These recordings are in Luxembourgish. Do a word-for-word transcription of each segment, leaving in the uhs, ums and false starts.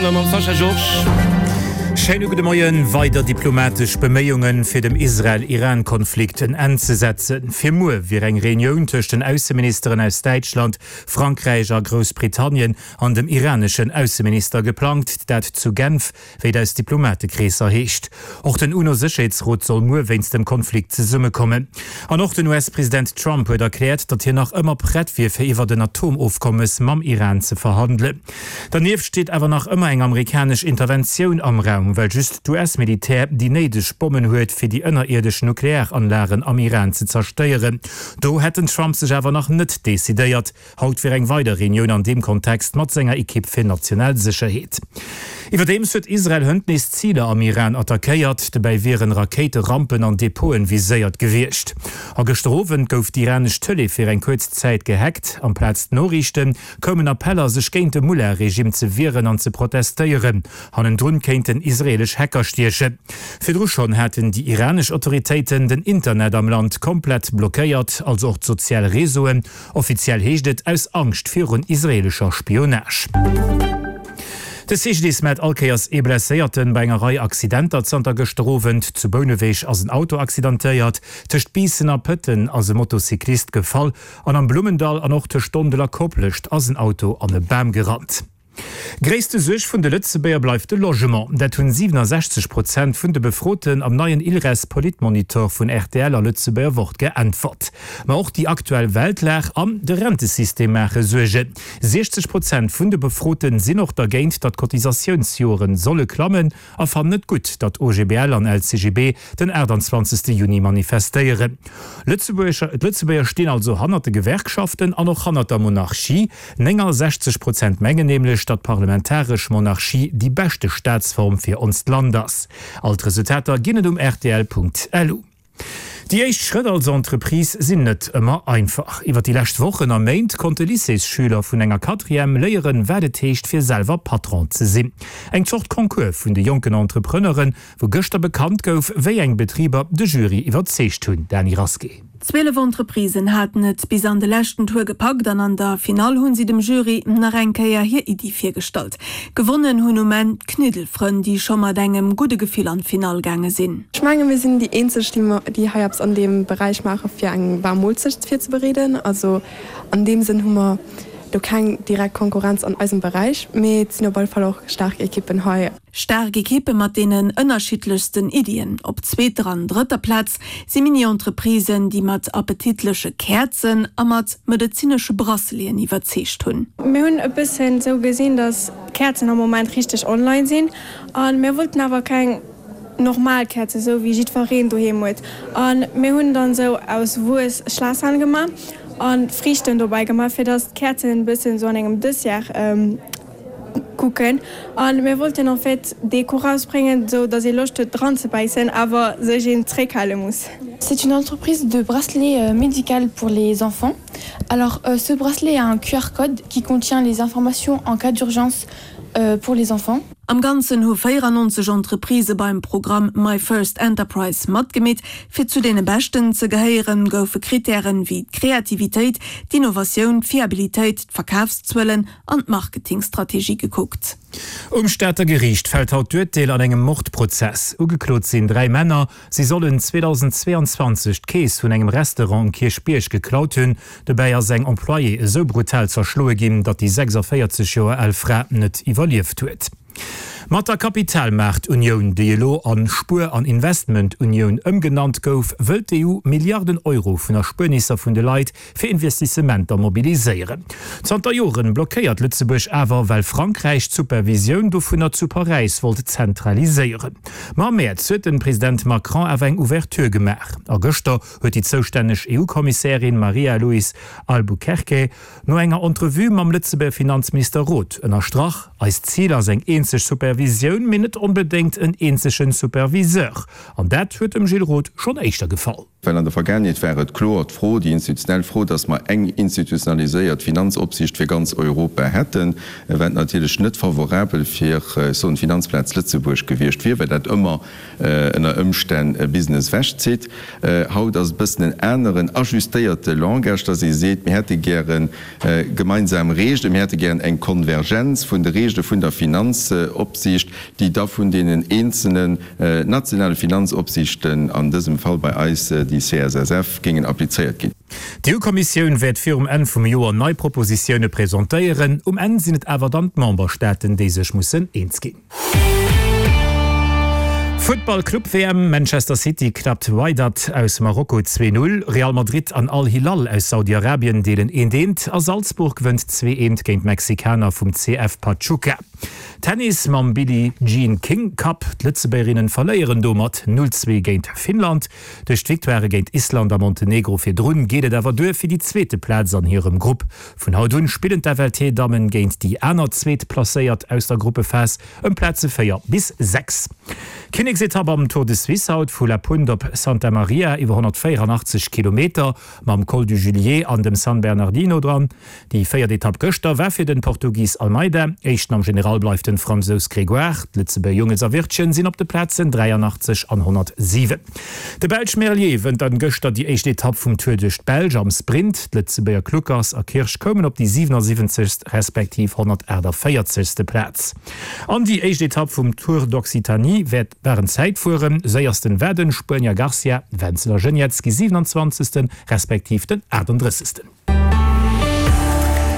a mam Sascha Georges. Schéine gudde Moien. Weider diplomatesch Beméiungen, fir dem Israel-Iran-Konflikt en Enn ze setzen. Fir muer wier eng Reunioun tëscht den Ausseministeren aus Däitschland, Frankräich a Groussbritannien an dem iraneschen Ausseminister geplangt, dat zu Genf, wéi et aus Diplomatekreesser heescht. Och den UNO-Sécherheetsrot soll muer wéinst dem Konflikt zesummekommen. An och den U S-President Trump huet erkläert, datt hien nach ëmmer prett wier, fir iwwert en Atomofkommes mam Iran ze verhandelen. Dernieft steet awer nach ëmmer eng amerikanesch Interventioun am Raum, well just d'U S-Militär déi néideg Bommen huet, fir déi ënnerierdesch Nuklearanlagen am Iran ze zerstéieren. Do hätt den Trump sech awer nach net decidéiert. Haut wier eng weider Reunioun an deem Kontext mat senger Ekipp fir national Sécherheet. Iwwerdeems huet Israel hënt nees Ziler am Iran attackéiert, dobäi wieren Rakéiterampen an Depoten viséiert gewiescht. A gëschter Owend gouf d'iranesch Tëlee fir eng kuerz Zäit gehackt. Amplaz Noriichten koumen Appeller, sech géint de Mullah-Regime ze wieren an ze protestéieren. Hannendrun kéinten israelesch Hacker stiechen. Virdru schonn haten déi iranesch Autoritéiten den Internet am Land komplett blockéiert, also och d'sozial Reseauen. Offiziell heescht et aus Angscht virun israelescher Spionage. De C G D I S mellt all Kéiers ee Blesséierten bei enger Rei Accidenter zanter gëschter Owend. Zu Bouneweg ass en Auto accidentéiert, tëscht Biissen a Pëtten ass e Motocyclist gefall an am Blummendall an och tëscht Dondel a Koplescht ass en Auto an e Bam gerannt. Gréisste Suerg vun de Lëtzebuerger bleift de Logement. Dat hunn siwenesechzeg Prozent vun de Befroten am neien ILRES Politmonitor vun R T L a Lëtzebuerger Wort geäntwert. Ma och déi aktuell Weltlag an de Rentesystem maache Suergen. siechzeg Prozent vun de Befroten sinn och dergéint, datt d'Cotisatiounsjoren solle klammen a fannen et gutt, datt O G B L an L C G B den aachtanzwanzegste Juni manifestéieren. Lëtzebuerger d'Lëtzebuerger stinn also hannert de Gewerkschaften an och hannert der Monarchie. néngasechzeg Prozent mengen nämlech, datt d'parlamentaresch Monarchie déi beschte Staatsform fir onst Land ass. All d'Resultater ginn et um R T L Punkt L U. Déi éischt Schrëtt als Entreprise sinn net ëmmer einfach. Iwwer déi lescht Wochen a Méint konnte Lycéesschüler vun enger Quatrième léieren, wat et heescht, fir selwer Patron ze sinn. Eng Zort Concours vun de jonken Entrepreneuren, wou gëschter bekannt gouf, wéi eng Betriber de Jury iwwerzeegt hunn. Dany Rasqué. Zwielef Entreprisen haten et bis an de leschten Tour gepackt an an der Finall hunn si dem Jury nach eng Kéier hir Iddi virgestallt. Gewonnen hunn um Enn d'Kniddelfrënn, déi scho mat engem gudde Gefill an d'Finall gaange sinn. Ech menge mir sinn déi eenzeg, déi hei eppes an deem Beräich maache fir eng waarm Moolzecht virzebereeden. Also an deem Sënn hu mer do keng direkt Konkurrenz an eisem Beräich, mee et sinn op alle Fall och staark Ekippen hei. Staark Ekippe mat deenen ënnerschiddlechsten Iddien. Op zweeter an drëtter Plaz si Mini-Entreprisen, déi mat appetitleche Käerzen a mat medezinesche Braceleten iwwerzeegt hunn. Mir hunn e bëssen sou gesinn, dass Käerzen am Moment richteg online sinn a mir wollten awer keng normal Käerzen, sou wéi jiddwereen doheem huet. A mir hunn dann sou aus Wuess Schlaassern gemaach an Friichten dobäi gemaach, fir dass d'Käerzen e bëssen sou an engem Dessert kucken. A mir wollten en fait Deko rausbréngen, sou dass ee Loscht huet dran ze bäissen, awer sech een zréckhale muss. C'est une entreprise de bracelets médical pour les enfants. Alors euh, ce bracelet a un Q R code qui contient les informations en cas d'urgence euh, pour les enfants. Am Ganzen hu véierannonzeg Entreprisë beim Programm My First Enterprise matgemeet. Fir zu deene Beschten ze gehéieren, goufe Krittären wéi d'Kreativitéit, d'Innovatioun, d'Fiabilitéit, d'Verkafszuelen an d'Marketingstrategie gekuckt. Um Stater Geriicht fält haut d'Urteel an engem Mordprozess. Ugeklot sinn dräi Männer. Si sollen zweedausendzweeanzwanzeg d'Keess vun engem Restaurant um Kierchbierg geklaut hunn. Dobäi ass eng Employée esou brutal zerschloe ginn, datt déi sechsavéierzeg Joer al Fra net iwwerlieft huet. Mat der Kapitalmaartunioun, déi elo an Spuer an Investmentunioun ëmgenannt gouf, wëll d'E U Milliarden Euro vun Erspuernisser vun de Leit fir Investissementer mobiliséieren. Zanter Joren blockéiert Lëtzebuerg awer, well Frankräich d'Supervisioun dovunner zu Paräis wollt zentraliséieren. Ma am Mäerz huet de President Macron awer eng Ouverture gemaach. A gëschter huet déi zoustänneg E U-Kommissärin Maria Luis Albuquerque no enger Entrevue mam Lëtzebuerger Finanzminister Roth ënnerstrach: Eist Zil ass eng eenzeg Supervisioun Supervisioun, mee net onbedéngt en eenzege Superviseur. An dat huet dem Gilles Roth schonn éischter gefall. Well an der Vergaangenheet war et kloer d'Fro, déi institutionell Fro, dass mer eng institutionaliséiert Finanzopsicht fir ganz Europa hätten, wat natierlech net favorabel fir, ech soen, d'Finanzplaz Lëtzebuerg gewiescht wier, well dat ëmmer ënner Ëmstänn Business ewechzitt. Haut ass e bëssen en aneren, ajustéierte Langage, dass ee seet, mir hätte gäre gemeinsam Reegelen, mir hätte gären eng Konvergenz vun de Reegele vun der Finanzopsicht, déi da vun deenen eenzelnen nationale Finanzopsichten, an dësem Fall bei eis déi C S S F, géingen applizéiert ginn. D'E U-Kommissioun wäert virum Enn vum Joer nei Propositioune presentéieren. Um Enn sinn et awer dann d'Memberstaaten, déi sech mussen eens ginn. Futtball Club W M, Manchester City klappt Wydad aus Marokko zwee Null, Real Madrid an Al Hilal aus Saudi-Arabien deelen eent eent a Salzburg gewënnt zwee eent géint d'Mexikaner vum C F Pachuca. Tennis mam Billie Jean King Cup, D'Lëtzebuergerinnen verléieren domat null zwee géint Finnland. Duerch d'Victoirë géint Island a Montenegro virdrun geet et awer duer fir déi zweete Plaz an hirem Grupp. Vun haut un spillen d'F L T-Dammen géint déi aner Zweetplacéiert aus der Gruppephas ëm Plaze véier bis sechs. Kinneksetapp am Tour de Suisse haut vu La Punt op Santa Maria iwwer honnertvéieranaachtzeg Kilometer mam Col du Julier an dem San Bernardino dran. Déi véiert Etapp gëschter war fir den Portugis Almeida. Éischten am General bleift den Fransous Grégoire. D'Lëtzebuerger Jungels a Wirtgen sinn op de Plazen dräianachtzeg an honnertsiwen. De Belsch Merlier wënnt dann gëschter déi éischt Etapp vum Tour duerch d'Belsch am Sprint. D'Lëtzebuerger Kluckers a Kirsch koumen op déi siwenasiwwenzegst respektiv honnertaachtavéierzegste Plaz. An déi éischt Etapp vum Tour d'Occitanie wäert war en Zäitfueren, séiersten war den Spuenier Garcia, Wenzel a Geniets gi siwenanzwanzegsten respektiv den aachtendrëssegsten.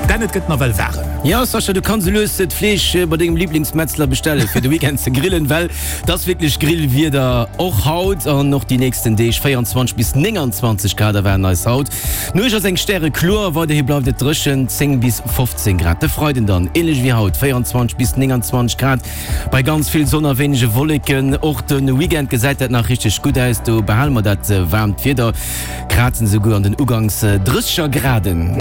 Dan, et gëtt nawell waarem. Jo Sascha, du kanns elo d'Fleesch bei dengem Liblingsmetzler bestellen fir de Weekend ze grillen, well dat ass wierklech Grillwieder och haut an och déi nächsten Deeg. véierundzwanzeg bis nénganzwanzeg Grad erwaarden eis haut. Nuecht ass eng stärekloer, weiderhi bleift et dréchen, zéng bis fofzéng Grad. De Freiden dann änlech wéi haut, véierundzwanzeg bis nénganzwanzeg Grad bei ganz vill Sonn a wéinege Wolleken. Och de Weekend gesäit dat nach richteg gutt aus, do behale mer dat waarmt Wieder, krazen esouguer an den Uganks Drësseger Graden.